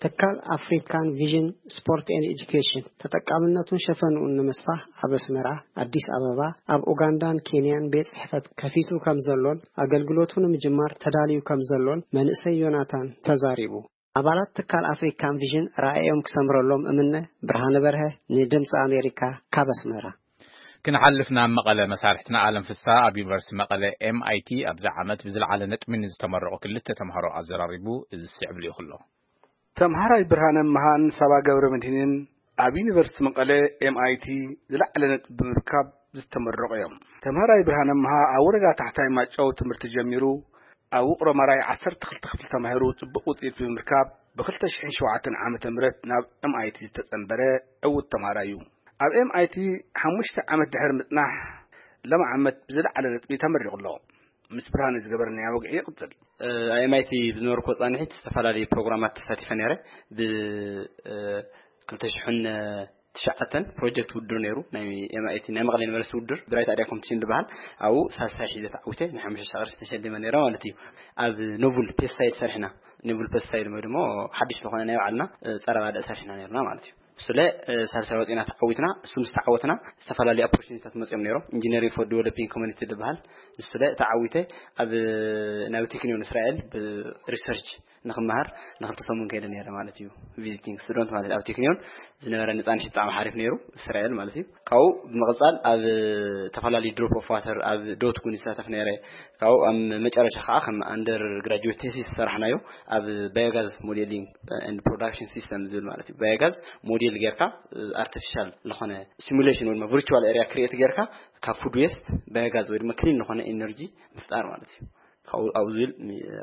ትካል ኣፍሪካን ቪዥን ስፖርት ኤን ኤጁኬሽን ተጠቃምነቱን ሸፈንኡን ንምስፋሕ ኣብ ኣስመራ፣ ኣዲስ ኣበባ፣ ኣብ ኡጋንዳን ኬንያን ቤት ጽሕፈት ከፊቱ ከም ዘሎን ኣገልግሎቱ ንምጅማር ተዳልዩ ከም ዘሎን መንእሰይ ዮናታን ተዛሪቡ። ኣባላት ትካል ኣፍሪካን ቪዥን ራእዮም ክሰምረሎም እምነ። ብርሃነ በርሀ ንድምፂ ኣሜሪካ ካብ ኣስመራ። ክንሓልፍ ናብ መቐለ። መሳርሕትና ኣለም ፍስሃ ኣብ ዩኒቨርሲቲ መቐለ ኤምኣይቲ ኣብዚ ዓመት ብዝለዓለ ነጥቢ ንዝተመረቑ ክልተ ተምሃሮ ኣዘራሪቡ። እዚ ዝስዕብ ልኢኹ ኣሎ። ተምሃራይ ብርሃነ መሃን ሳባ ገብረ መድህንን ኣብ ዩኒቨርሲቲ መቐለ ኤምኣይቲ ዝለዓለ ነጥቢ ብምርካብ ዝተመረቑ እዮም። ተምሃራይ ብርሃነ መሃ ኣብ ወረዳ ታሕታይ ማጨው ትምህርቲ ጀሚሩ ኣብ ውቕሮ ማራይ ዓሰርተ ክልተ ክፍሊ ተማሂሩ ጽቡቕ ውጽኢት ብምርካብ ብ2007 ዓመተ ምህረት ናብ ኤምኣይቲ ዝተጸንበረ ዕዉት ተምሃራይ እዩ። ኣብ ኤምኣይቲ ሓሙሽተ ዓመት ድሕሪ ምጽናሕ ሎም ዓመት ብዝለዓለ ነጥቢ ተመሪቑ ኣሎ። ምስ ብርሃነ ዝገበርናዮ ወግዒ ይቕጽል። ኣብ ኤምኣይቲ ብዝነበርኩ ጻንሒት ዝተፈላለዩ ፕሮግራማት ተሳቲፈ ነይረ። ብ2009 ፕሮጀክት ውድድር ነይሩ፣ ናይ ኤምኣይቲ ናይ መቐለ ዩኒቨርሲቲ ውድድር ብራይት ኣድያ ኮምፒቲሽን ዝበሃል። ኣብኡ ሳልሳይ ሒዘ ተዓዊተ ናይ ሓሙሽተ ሺሕ ቅርሺ ተሸሊመ ነይረ ማለት እዩ። ኣብ ኖቡል ፔስሳይድ ሰሪሕና፣ ኖቡል ፔስሳይድ ወይ ድማ ሓድሽ ዝኾነ ናይ ባዕልና ጸረ ባድዕ ሰሪሕና ነይርና ማለት እዩ። ስለ ሳልሳይ ወፂና ተዓዊትና። እሱ ምስ ተዓወትና ዝተፈላለዩ ኦፖርቹኒቲታት መፅኦም ነይሮም። ኢንጂነሪንግ ፎር ዲቨሎፒንግ ኮሚኒቲ ዝበሃል ንሱ ለ ተዓዊተ ኣብ ናብ ቴክኒዮን እስራኤል ብሪሰርች ንክመሃር ንክልተ ሰሙን ከይደ ነይረ ማለት እዩ። ቪዚቲንግ ስቱደንት ማለት ኣብ ቴክኒዮን ዝነበረ ንፃንሒ ብጣዕሚ ሓሪፍ ነይሩ፣ እስራኤል ማለት እዩ። ካብኡ ብምቕፃል ኣብ ዝተፈላለዩ ድሮፕ ኦፍ ዋተር ኣብ ዶት ኩን ይሳተፍ ነይረ። ካብኡ ኣብ መጨረሻ ከዓ ከም ኣንደር ግራጁዌት ቴሲስ ዝሰራሕናዮ ኣብ ባዮጋዝ ሞዴሊንግ ኤንድ ፕሮዳክሽን ሲስተም ዝብል ማለት እዩ። ባዮጋዝ ሞዴል ጌርካ ኣርቲፊሻል ዝኾነ ሲሙሌሽን ወይ ድማ ቪርቹዋል ኤሪያ ክሪኤት ጌርካ ካብ ፉድ ዌስት ባዮጋዝ ወይ ድማ ክሊን ዝኾነ ኤነርጂ ምፍጣር ማለት እዩ። ካብኡ ኣብኡ ዝብል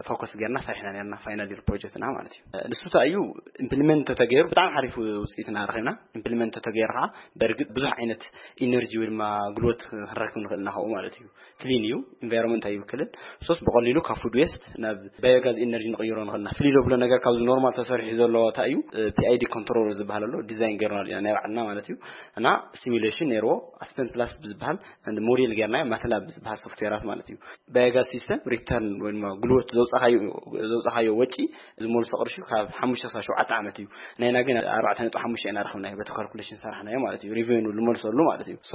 ፎከስ ጌርና ሰሪሕና ነርና ፋይናል ይር ፕሮጀክትና ማለት እዩ። ንሱ እንታይ እዩ ኢምፕሊመንት ተተገይሩ ብጣዕሚ ሓሪፍ ውፅኢትና ረኺብና። ኢምፕሊመንት ተተገይሩ ከዓ በእርግጥ ብዙሕ ዓይነት ኢነርጂ ወይ ድማ ግልወት ክንረክብ ንኽእል ኢና ካብኡ ማለት እዩ። ክሊን እዩ፣ ኢንቫይሮንመንት ኣይብክልን። ሶስ ብቐሊሉ ካብ ፉድ ዌስት ናብ ባዮጋዝ ኢነርጂ ንቕይሮ ንኽእልና ፍልይ ዘብሎ ነገር ካብዚ ኖርማል ተሰሪሑ ዘሎ እንታይ እዩ? ፒኣይዲ ኮንትሮል ዝበሃል ኣሎ፣ ዲዛይን ገይርናሉ ኢና ናይ ባዕልና ማለት እዩ። እና ስቲሙሌሽን ነይርዎ፣ ኣስፐን ፕላስ ብዝበሃል ሞዴል ጌርናዮ፣ ማትላብ ብዝበሃል ሶፍትዌራት ማለት እዩ። ባዮጋዝ ሲስተም ሪተርን ወይ ድማ ግልወት ዘውፃኻዮ ወጪ ዝመልሶ ቅርሺ ካብ ሓሙሽተ ክሳብ ሸውዓተ ዓመት እዩ። ናይና ግን ኣርባዕተ ነጥቢ ሓሙሽተ ኢና ረኽብናዮ፣ በቲ ካልኩሌሽን ሰራሕናዮ ማለት እዩ። ሪቨኑ ዝመልሰሉ ማለት እዩ። ሶ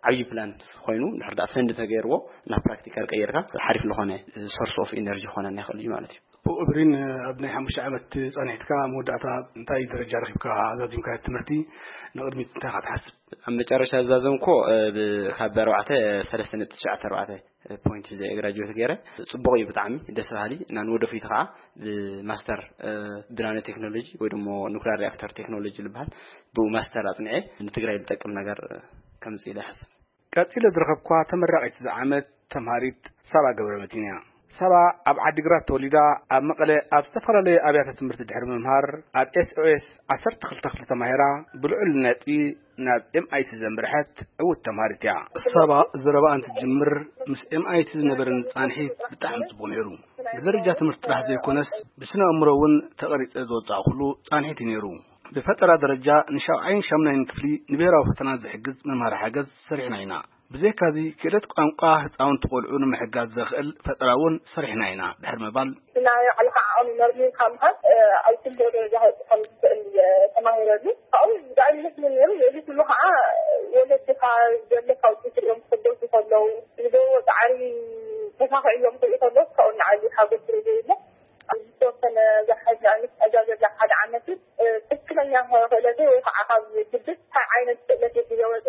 ዓብዪ ፕላን ኮይኑ ድሕር ዳ ፈንድ ተገይርዎ ናብ ፕራክቲካል ቀይርካ ሓሪፍ ዝኾነ ሶርስ ኦፍ ኢነርጂ ክኾነና ይኽእል እዩ ማለት እዩ። ብኡ እብሪን ኣብ ናይ ሓሙሽተ ዓመት ፃንሒትካ መወዳእታ እንታይ ደረጃ ረኺብካ ኣዛዚምካ ትምህርቲ ንቕድሚት እንታይ ኢኻ ትሓስብ? ኣብ መጨረሻ ዝዛዘምኮ ካብ ኣርባዕተ ሰለስተ ነጥቢ ትሽዓተ ኣርባዕተ ፖይንት ሒዘ ግራጁዌት ገይረ። ፅቡቕ እዩ ብጣዕሚ ደስ በሃሊ እና ንወደፊቱ ከዓ ብማስተር ብናኖ ቴክኖሎጂ ወይ ድማ ኑክሊር ሪኣክተር ቴክኖሎጂ ዝበሃል ብኡ ማስተር ኣፅኒዐ ንትግራይ ዝጠቅም ነገር ከምፅእ ኢለ ይሓስብ። ቀጺለ ዝረኸብኳ ተመራቒት እዚ ዓመት ተምሃሪት ሳባ ገብረመድህን እያ። ሳባ ኣብ ዓዲግራት ተወሊዳ ኣብ መቐለ ኣብ ዝተፈላለዩ ኣብያተ ትምህርቲ ድሕሪ ምምሃር ኣብ ኤስኦኤስ ዓሰርተ ክልተ ክፍሊ ተማሂራ ብልዑል ነጥቢ ናብ ኤምኣይቲ ዘምርሐት ዕውት ተምሃሪት እያ። ሳባ ዘረባኣ እንትትጅምር ምስ ኤምኣይቲ ዝነበረኒ ጻንሒት ብጣዕሚ ጽቡቕ ነይሩ። ብደረጃ ትምህርቲ ጥራሕ ዘይኮነስ ብስነ ኣእምሮ እውን ተቐሪጸ ዝወጻእኩሉ ጻንሒት እዩ ነይሩ። ብፈጠራ ደረጃ ንሻብዓይን ሻምናይን ክፍሊ ንብሄራዊ ፈተና ዝሕግዝ መምሃሪ ሓገዝ ሰሪሕና ኢና። ብዘይካዚ ክእለት ቋንቋ ህፃውንቲ ቆልዑ ንምሕጋዝ ዘኽእል ፈጠራ እውን ሰሪሕና ኢና ድሕሪ ምባል ናይ ባዕልኻ ዓቕሚ መርሚርካ ምኻድ ኣብ ኩሉ ደረጃ ከውፅእ ከም ዝኽእል እየ ተማሂረሉ። ካብኡ ብጣዕሚ ደስ ዝብል ነይሩ። ልዕሊ ኩሉ ከዓ ወለድኻ ዘለካ ውፅኢት ሪኦም ክሕጎሱ ከለዉ ዝገብርዎ ፃዕሪ ተኻኺዕሎም ክርኢ ከለዉ ካብኡ ንዓሊ ሓጎስ ስለ ዘይብሎ ዝተወሰነ ዝሓዝ ንኣብነት ዕዳ ዘላ ሓደ ዓመት ትክክለኛ ክእለተይ ወይ ከዓ ካብ ግድስ እንታይ ዓይነት ክእለት ዝገበጡ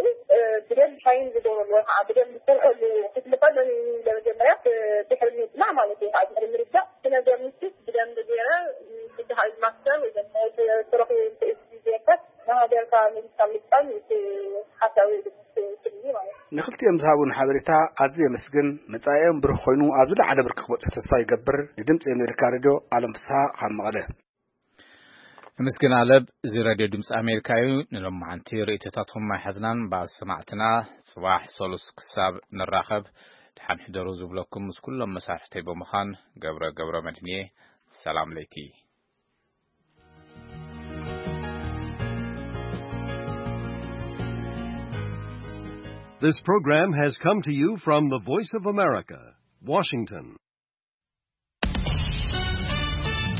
ብደንብ ሻይን ዝገብረሉ ወይ ከዓ ብደንብ ዝሰርሐሉ ክፍሊ ከሎ ንመጀመርያ ድሕሪ ምፅናዕ ማለት እዩ ከዓ ድሕሪ ምርዳእ እቲ ነገር ንሱ ብደንብ ገይረ ብድሃይ ማስተር ወይ ስረኹ ዜንፈት ንሃገርካ መንግስታ ምጣን ሓሳዊ ስልሚ ማለት እዩ። ንክልቲኦም ዝሃቡን ሓበሬታ ኣዝየ የመስግን። መጻኢኦም ብሩህ ኮይኑ ኣብ ዝለዓለ ብርኪ ክበጽሑ ተስፋ ይገብር። ንድምጺ ኣሜሪካ ሬድዮ ኣለም ፍስሃ ካብ መቐለ። ምስግን ኣለብ። እዚ ሬድዮ ድምፂ ኣሜሪካ እዩ። ንሎማዓንቲ ርእይቶታትኩም ኣይሓዝናን። ብኣሰማዕትና ጽባሕ ሰሉስ ክሳብ ንራኸብ ድሓን ሕደሩ ዝብለኩም ምስ ኩሎም መሳርሕተይ ብምዃን ገብረ ገብረ መድንየ ሰላም ለይቲ። This program has come to you from the Voice of America, Washington.